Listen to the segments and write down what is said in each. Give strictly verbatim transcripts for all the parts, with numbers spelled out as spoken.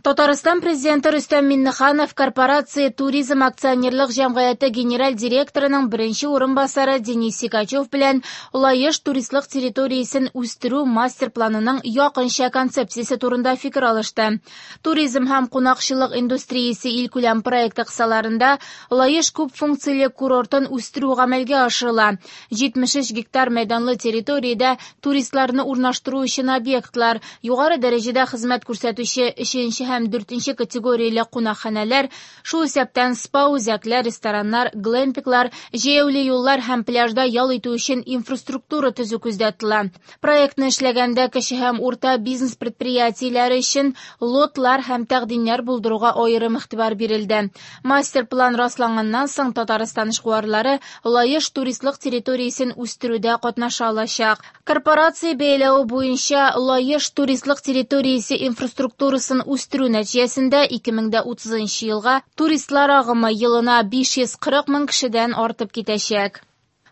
Татарстан Президенты Рөстәм Миңнеханов Корпорация Туризм акционерлык җәмгыяте генераль директорының беренче урынбасары Денис Сикачев белән Лаеш туристлык территориясен үстерү мастер-планының якынча концепциясе турында фикер алышты. Туризм һәм кунакчыллык индустриясе илкүләм проекты кысаларында Лаеш күп функцияле курортын үстерү гамәлгә ашырыла. җитмеш өч гектар мәйданлы территориядә туристларны урнаштыру өчен объектлар, югары дәрәҗәдә хезмәт күрсәтүче өченче һәм дүртенче категорияле кунакханәләр, шул исәптән спа-үзәкләр, рестораннар, глэмпинглар, җәяүле юллар һәм пляжда ял итү өчен инфраструктура төзү күздә тотыла. Проектны эшләгәндә кече һәм урта бизнес предприятиеләре өчен лотлар һәм тәкъдимнәр булдыруга аерым игътибар бирелде. Мастер-план расланганнан соң Татарстан эшкуарлары Лаеш туристлык территориясен үстерүдә катнаша алачак. Корпорация бәяләве буенча Лаеш туристлык территориясе инфраструктурасын үстерү нәтиҗәсендә ике мең дә утызынчы елга туристлар агымы елына биш йөз кырык мең кешедән артып китәчәк.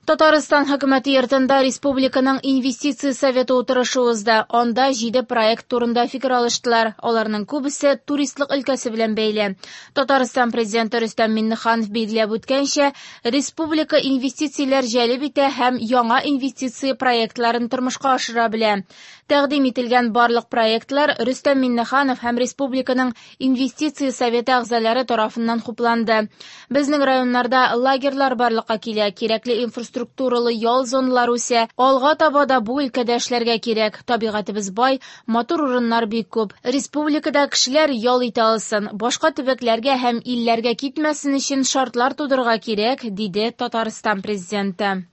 Татарстан хөкүмәте йортында республиканың инвестиция советы утырышы узды. Анда җиде проект турында фикер алыштылар. Аларның күбесе туристлык өлкәсе белән бәйле. Татарстан президенты Рөстәм Миңнеханов билгеләп үткәнчә, республика инвестицияләр җәлеп итә һәм яңа инвестиция проектларын тормышка ашыра белә. Тәкъдим ителгән барлык проектлар Рөстәм Миңнеханов һәм республиканың инвестиция советы әгъзалары тарафыннан хупланды. Безнең районнарда лагерьлар барлыкка килә, кирәкле инфраструктуралы ял зоналары үсә. Алга таба да бу өлкәдә эшләргә кирәк. Табигатебез бай, матур урыннар бик күп. Республикада кешеләр ял итә алсын, башка төбәкләргә һәм илләргә китмәсен өчен шартлар тудырырга кирәк, диде Татарстан президенты.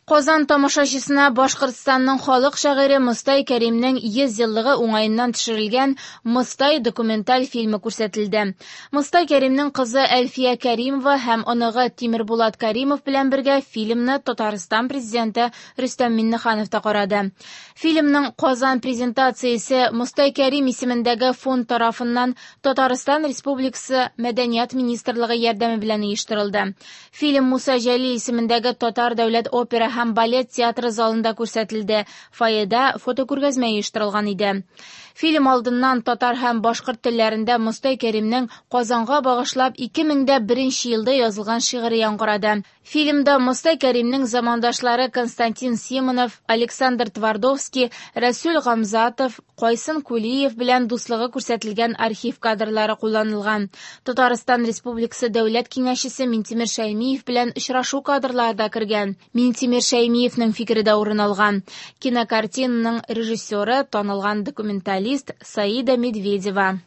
Казан тамашачысына Башкортстанның халык шагыйре Мостай Кәримнең йөз еллыгы уңаеннан төшерелгән Мостай документаль фильмы күрсәтелде. Мостай Кәримнең кызы Әлфия Кәримова һәм оныгы Тимербулат Кәримов белән бергә фильмны Татарстан президенты Рөстәм Миңнеханов та карады. Фильмның Казан презентациясе Мостай Кәрим исемендәге фонд тарафыннан Татарстан Республикасы Мәдәният министрлыгы ярдәме белән оештырылды. Фильм Муса Җәлил исемендәге Татар дәүләт опера һәм балет театры залында күрсәтелде. Фойеда фотокүргәзмә оештырылган иде. Фильм алдыннан татар һәм башкорт телләрендә Мостай Кәримнең Казанга багышлап ике мең дә беренче елда язылган шигыре яңгырады. Фильмда Мостай Кәримнең замандашлары Константин Симонов, Александр Твардовский, Рәсүл Гамзатов, Кайсын Кулиев белән дуслыгы күрсәтелгән архив кадрлары кулланылган. Татарстан Республикасы Дәүләт Киңәшчесе Минтимер Шәймиев белән очрашу кадрлары да кергән. Минтимер Шәймиевнең фикере дә урын алган. Кинокартинаның режиссеры танылган документалист Саида Медведева.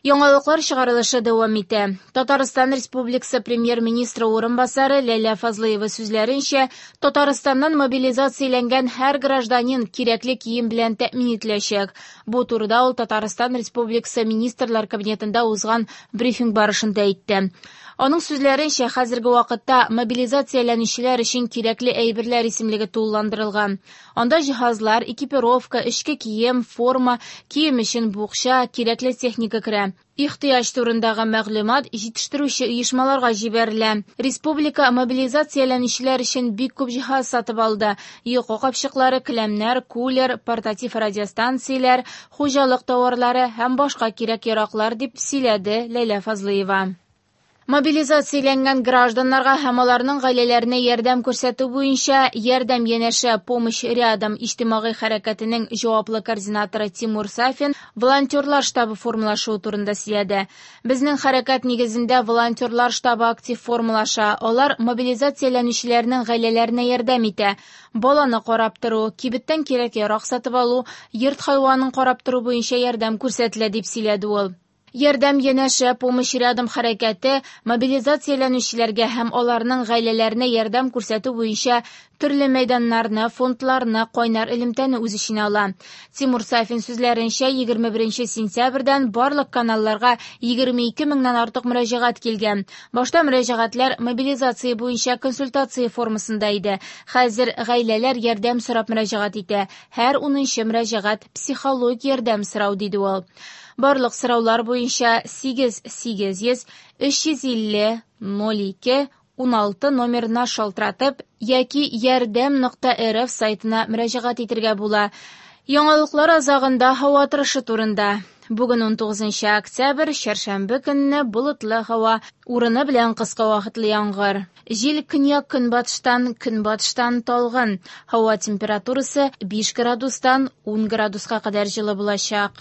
Яңалыклар чыгарылышы дәвам итә. Татарстан Республикасы премьер-министры урынбасары Ләйлә Фазлыева сүзләренчә, Татарстаннан мобилизацияләнгән һәр гражданин кирәкле кием белән тәэмин ителәчәк. Бу турыда ул Татарстан Республикасы Министрлар Кабинетында узган брифинг барышында әйтте. Аның сүзләренчә, хәзерге вакытта мобилизацияләнүчеләр өчен кирәкле әйберләр исемлеге тулыландырылган. Анда җиһазлар, экипировка, эчке кием, форма, кием өчен букча, кирәкле техника керә. Ихтыяҗ турындагы мәгълүмат җитештерүче оешмаларга җибәрелә. Республика мобилизацияләнүчеләр өчен бик күп җиһаз сатып алды. Йокы капчыклары, келәмнәр, кулер, портатив радиостанцияләр, хуҗалык товарлары һәм башка кирәк-яраклар, дип сөйләде Ләйлә Фазлыева. Мобилизацияләнгән гражданнарга һәм аларның гаиләләренә ярдәм күрсәтү буенча Ярдәм янәшә Помощь рядом иҗтимагый хәрәкәтенең җаваплы координаторы Тимур Сафин волонтерлар штабы формалашуы турында сөйләде. Безнең хәрәкәт нигезендә волонтерлар штабы актив формалаша. Алар мобилизацияләнүчеләрнең гаиләләренә ярдәм итә. Баланы карап тору, кибеттән кирәк-ярак сатып алу, йорт хайванын карап тору буенча ярдәм күрсәтелә, дип сөйләде ул. Ярдәм янәшә Помощь рядом хәрәкәте мобилизацияләнүчеләргә һәм аларның гаиләләренә ярдәм күрсәтү буенча төрле мәйданнарны, фондларны, кайнар элемтәне үз эченә ала. Тимур Сафин сүзләренчә, егерме беренче сентябрьдән барлык каналларга егерме ике меңнән артык мөрәҗәгать килгән. Башта мөрәҗәгатьләр мобилизация буенча консультация формасында иде. Хәзер гаиләләр ярдәм сорап мөрәҗәгать итә. Һәр унынчы мөрәҗәгать психологик ярдәм сорау, диде ул. Барлык сораулар буенча сигез сигез йөз өч йөз илле ноль ике уналты номерына шалтыратып яки ярдәм нокта рф сайтына мөрәҗәгать итәргә була. Яңалыклар азагында һава торышы турында. Бүген унтугызынчы октябрь, чәршәмбе көнне болытлы һава, урыны белән кыска вакытлы яңгыр. Җил көньяк-көнбатыштан, көнбатыштан талгын. Һава температурасы биш градустан ун градуска кадәр җылы булачак.